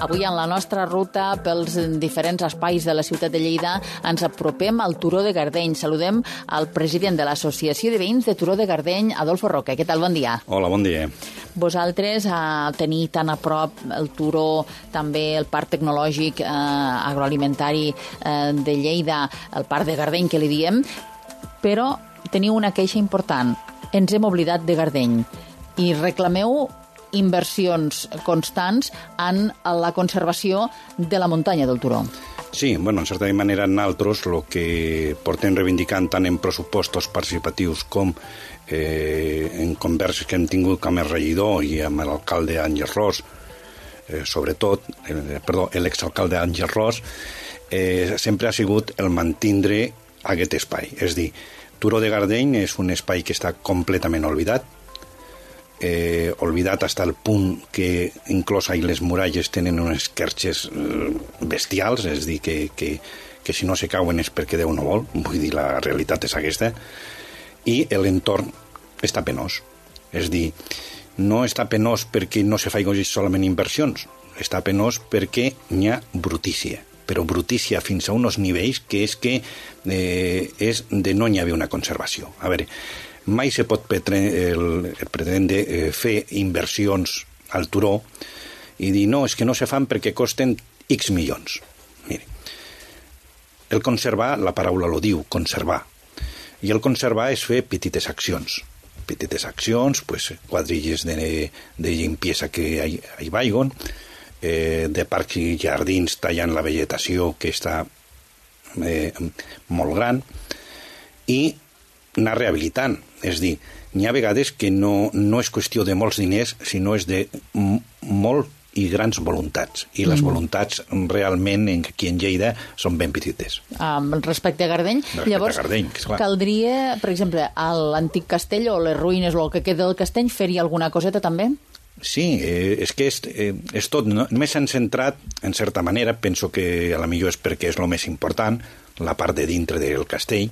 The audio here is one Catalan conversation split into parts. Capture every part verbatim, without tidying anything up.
Avui en la nostra ruta pels diferents espais de la ciutat de Lleida ens apropem al Turó de Gardeny. Saludem al president de l'Associació de Veïns de Turó de Gardeny, Adolfo Roca. Què tal? Bon dia. Hola, bon dia. Vosaltres, a tenir tan a prop el Turó, també el Parc Tecnològic eh, Agroalimentari eh, de Lleida, el Parc de Gardeny, que li diem, però teniu una queixa important. Ens hem oblidat de Gardeny i reclameu inversions constants en la conservació de la muntanya del Turó. Sí, bueno, en certa manera nosaltres el que portem reivindicant tant en pressupostos participatius com eh, en converses que hem tingut amb el regidor i amb l'alcalde Àngel Ros, eh, sobretot, eh, perdó, l'exalcalde Àngel Ros, eh, sempre ha sigut el mantindre aquest espai. És dir, Turó de Gardeny és un espai que està completament oblidat, Eh, oblidat fins al punt que inclús ahí les muralles tenen unes querxes eh, bestials, és dir, que, que, que si no se cauen és perquè Déu no vol, vull dir, la realitat és aquesta, i l'entorn està penós. És dir, no està penós perquè no se faci solament inversions, està penós perquè n'hi ha brutícia, però brutícia fins a uns nivells que és que eh, és de no n'hi haver una conservació. A veure, mai se pot pretendre eh, fer inversions al Turó i dir no, és que no se fan perquè costen X milions. Mire, el conservar, la paraula lo diu, conservar. I el conservar és fer petites accions. Petites accions, pues, quadrilles de, de limpiesa que hi, hi vagin, eh, de parcs i jardins tallant la vegetació que està eh, molt gran, i anar rehabilitant. És dir, n'hi ha vegades que no, no és qüestió de molts diners, sinó és de m- molt i grans voluntats. I les mm. voluntats realment aquí en Lleida són ben petites. Um, respecte a Gardeny, respecte llavors a Gardeny, que caldria, per exemple, a l'antic castell o les ruïnes o el que queda del castell, fer-hi alguna coseta també? Sí, eh, és que és, eh, és tot. No? Només s'han centrat, en certa manera, penso que a la millor és perquè és el més important, la part de dintre del castell,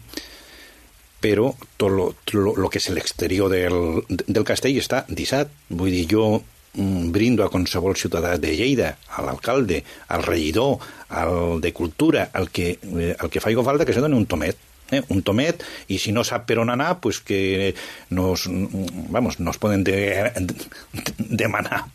però tot lo, lo, lo que és l'exterior del, del castell està dissat. Vull dir, jo mm, brindo a qualsevol ciutadà de Lleida, a l'alcalde, al regidor, al de Cultura, al que, eh, al que faci falta que se doni un tomet. Eh, un tomet, i si no sap per on anar, pues que nos, vamos, nos poden de, de, demanar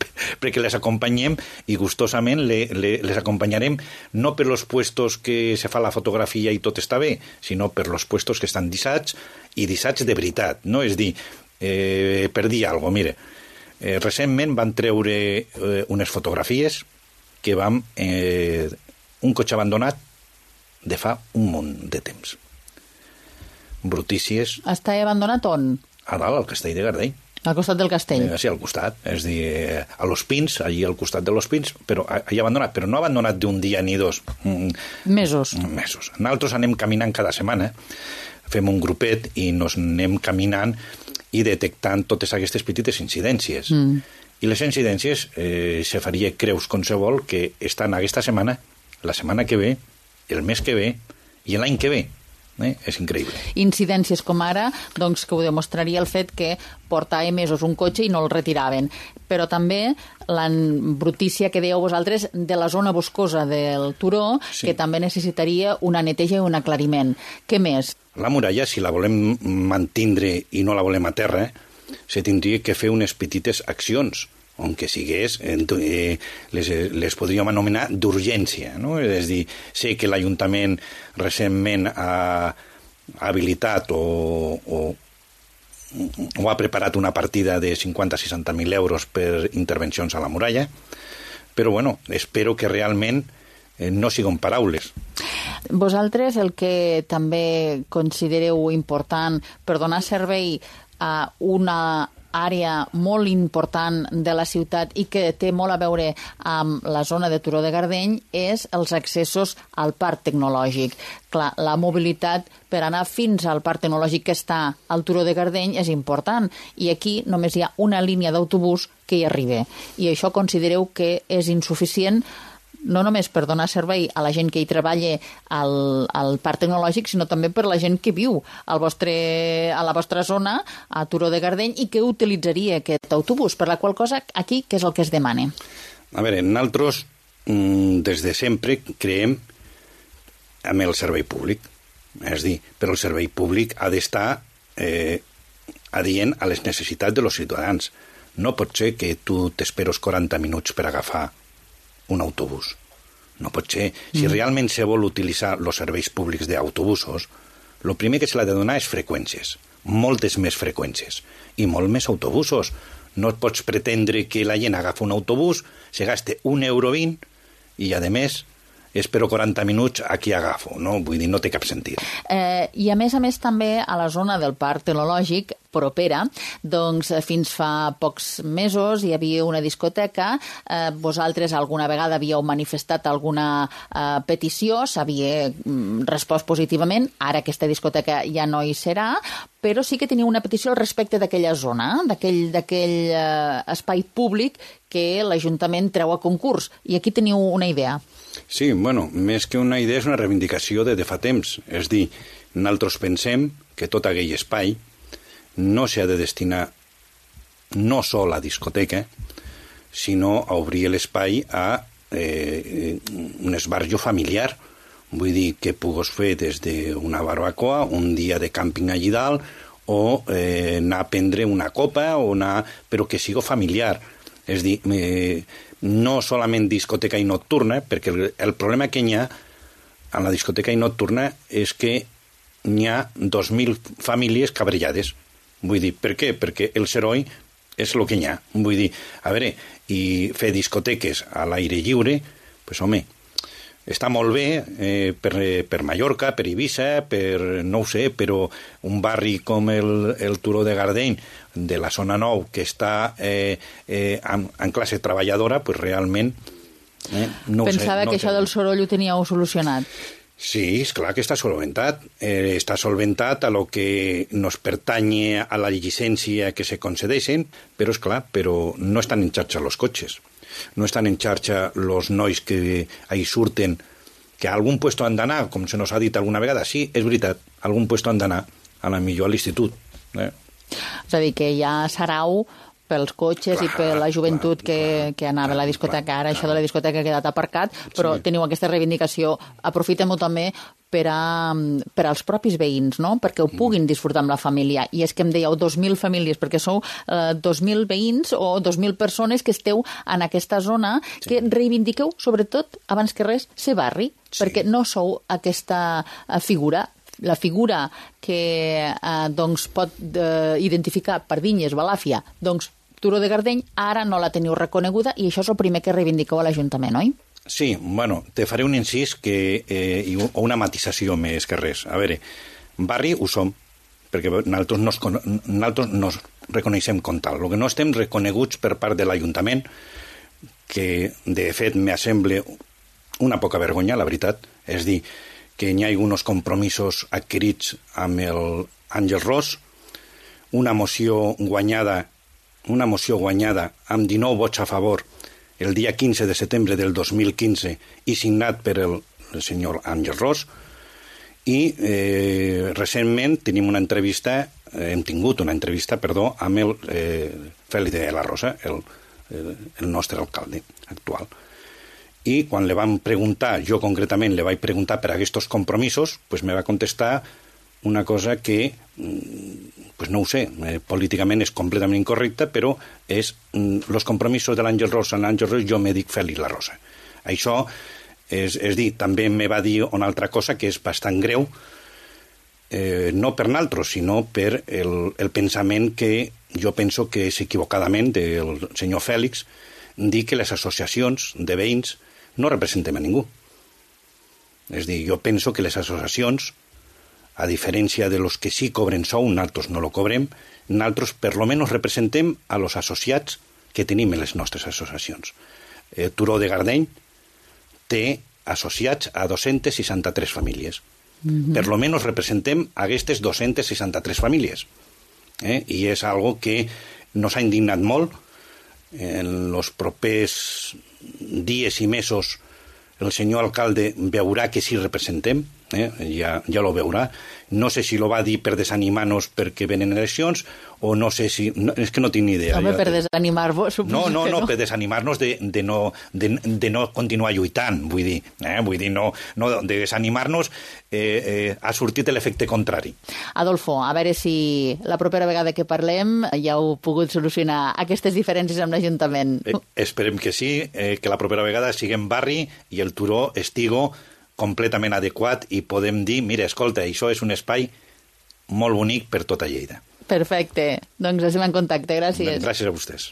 perquè les acompanyem i gustosament le, le, les acompanyarem no per los puestos que se fa la fotografia i tot està bé, sinó per los puestos que estan dissats i dissats de veritat, no? És dir, eh, per dir alguna cosa, mire, eh, recentment van treure eh, unes fotografies que vam eh, un cotxe abandonat de fa un munt de temps. Brutícies. Està abandonat on? A dalt, al castell de Gardeny. Al costat del castell? Eh, sí, al costat. És dir, eh, a Los Pins, allí al costat de Los Pins, però allà abandonat, però no abandonat d'un dia ni dos. Mm, mesos. Mesos. Nosaltres anem caminant cada setmana, fem un grupet i nos anem caminant i detectant totes aquestes petites incidències. Mm. I les incidències eh, se faria creus qualsevol que estan aquesta setmana, la setmana que ve, el mes que ve i l'any que ve. Eh? És increïble. Incidències com ara, doncs, que ho demostraria el fet que portava mesos un cotxe i no el retiraven. Però també la brutícia que dèieu vosaltres de la zona boscosa del Turó, sí, que també necessitaria una neteja i un aclariment. Què més? La muralla, si la volem mantindre i no la volem a terra, se tindria que fer unes petites accions, on que sigués, eh, les, les podríem anomenar d'urgència, no? És dir, sé que l'Ajuntament recentment ha, ha habilitat o, o, o ha preparat una partida de cinquanta a seixanta mil euros per intervencions a la muralla, però bueno, espero que realment eh, no siguin paraules. Vosaltres el que també considereu important per donar servei a una àrea molt important de la ciutat i que té molt a veure amb la zona de Turó de Gardeny és els accessos al parc tecnològic. Clar, la mobilitat per anar fins al parc tecnològic que està al Turó de Gardeny és important i aquí només hi ha una línia d'autobús que hi arriba i això considereu que és insuficient no només per donar servei a la gent que hi treballa al, al parc tecnològic, sinó també per la gent que viu al vostre, a la vostra zona, a Turó de Gardeny, i que utilitzaria aquest autobús, per la qual cosa aquí què és el que es demana? A veure, nosaltres des de sempre creiem en el servei públic. És dir, però el servei públic ha d'estar eh, adient a les necessitats dels ciutadans. No pot ser que tu t'esperes quaranta minuts per agafar un autobús. No pot ser. Si mm. realment se vol utilitzar els serveis públics d'autobusos, el primer que se l'ha de donar és freqüències, moltes més freqüències, i molt més autobusos. No et pots pretendre que la gent agafa un autobús, se gaste un euro vint, i a més espero quaranta minuts a qui agafo, no? Vull dir, no té cap sentit. Eh, I a més a més també a la zona del Parc Tecnològic propera, doncs fins fa pocs mesos hi havia una discoteca, eh, vosaltres alguna vegada havíeu manifestat alguna eh, petició, s'havia mm, respost positivament, ara aquesta discoteca ja no hi serà, però sí que teniu una petició al respecte d'aquella zona, d'aquell d'aquell eh, espai públic que l'Ajuntament treu a concurs, i aquí teniu una idea. Sí, bueno, més que una idea és una reivindicació de, de fa temps. És dir, nosaltres pensem que tot aquell espai no s'ha de destinar no sol a discoteca, sinó a obrir l'espai a eh, un esbarjo familiar. Vull dir, que pugues fer des d'una barbacoa, un dia de càmping allí dalt, o eh, anar a prendre una copa, o anar... però que sigui familiar. És dir, eh, no solament discoteca i nocturna, perquè el, el problema que hi ha en la discoteca i nocturna és que n'hi ha dos mil famílies cabrellades. Vull dir, per què? Perquè el soroll és el que hi ha. Vull dir, a veure, i fer discoteques a l'aire lliure, pues home, està molt bé eh, per, per Mallorca, per Eivissa, per, no ho sé, però un barri com el, el Turó de Gardeny, de la zona nou, que està eh, eh, en, en classe treballadora, pues realment... Eh, no Pensava sé, no que això sé. del soroll ho teníeu solucionat. Sí, és clar que està solventat. Eh, està solventat a lo que nos pertany a la llicència que se concedeixen, però és clar, però no estan en xarxa els cotxes. No estan en xarxa els nois que ahí surten, que a algun puesto han d'anar, com se nos ha dit alguna vegada. Sí, és veritat, a algun puesto han d'anar, a la millor a l'institut. Eh? És a dir, que hi ha sarau pels cotxes clar, i per la joventut clar, que, clar, que anava clar, a la discoteca. Ara clar. Això de la discoteca ha quedat aparcat, però sí. Teniu aquesta reivindicació. Aprofitem-ho també per, a, per als propis veïns, no? Perquè ho puguin disfrutar amb la família. I és que em dèieu dos mil famílies, perquè sou eh, dos mil veïns o dos mil persones que esteu en aquesta zona, sí. Que reivindiqueu, sobretot, abans que res, ser barri, sí. Perquè no sou aquesta figura, la figura que eh, doncs, pot eh, identificar per Vinyes, Balàfia, doncs Turó de Gardeny, ara no la teniu reconeguda i això és el primer que reivindiqueu a l'Ajuntament, oi? Sí, bueno, te faré un incís que, eh, i o una matisació més que res. A veure, barri ho som, perquè nosaltres nos, nosaltres nos reconeixem com tal. El que no estem reconeguts per part de l'Ajuntament, que de fet m'assembla una poca vergonya, la veritat, és dir, que hi ha alguns compromisos adquirits amb el Àngel Ros, una moció guanyada, una moció guanyada amb dinou vots a favor el dia quinze de setembre del dos mil quinze i signat per el, el senyor Àngel Ros, i eh, recentment tenim una entrevista, eh, hem tingut una entrevista, perdó, amb el eh, Fèlix de la Rosa, el, el, el nostre alcalde actual. I quan le vam preguntar, jo concretament le vaig preguntar per aquests compromisos, pues me va contestar una cosa que, pues no ho sé, eh, políticament és completament incorrecta, però és els compromisos de l'Àngel Ros amb l'Àngel Ros, jo me dic Fèlix la Rosa. Això és, és dir, també me va dir una altra cosa que és bastant greu, eh, no per naltros, sinó per el, el pensament que jo penso que és equivocadament del senyor Fèlix, dir que les associacions de veïns no representem a ningú. És dir, jo penso que les associacions, a diferència de los que sí cobren sou, nosaltres no lo cobrem, nosaltres per lo menos representem a los associats que tenim en les nostres associacions. Eh, Turó de Gardeny té associats a dos-centes seixanta-tres famílies. Mm-hmm. Per lo menos representem a aquestes dos-centes seixanta-tres famílies. Eh? I és algo que nos ha indignat molt. En els propers dies i mesos el senyor alcalde veurà que sí representem, eh? ja, ja lo veurà. No sé si lo va dir per desanimar-nos perquè venen eleccions, o no sé si... No, és que no tinc ni idea. Home, per desanimar-vos, suposo no, no, que no. No, per desanimar-nos de, de, no, de, de no continuar lluitant, vull dir. Eh? Vull dir, no, no de desanimar-nos eh, eh, ha sortit l'efecte contrari. Adolfo, a veure si la propera vegada que parlem ja heu pogut solucionar aquestes diferències amb l'Ajuntament. Eh, esperem que sí, eh, que la propera vegada siguem barri i el turó estigo completament adequat i podem dir, mira, escolta, això és un espai molt bonic per tota Lleida. Perfecte. Doncs estem en contacte. Gràcies. Gràcies a vostès.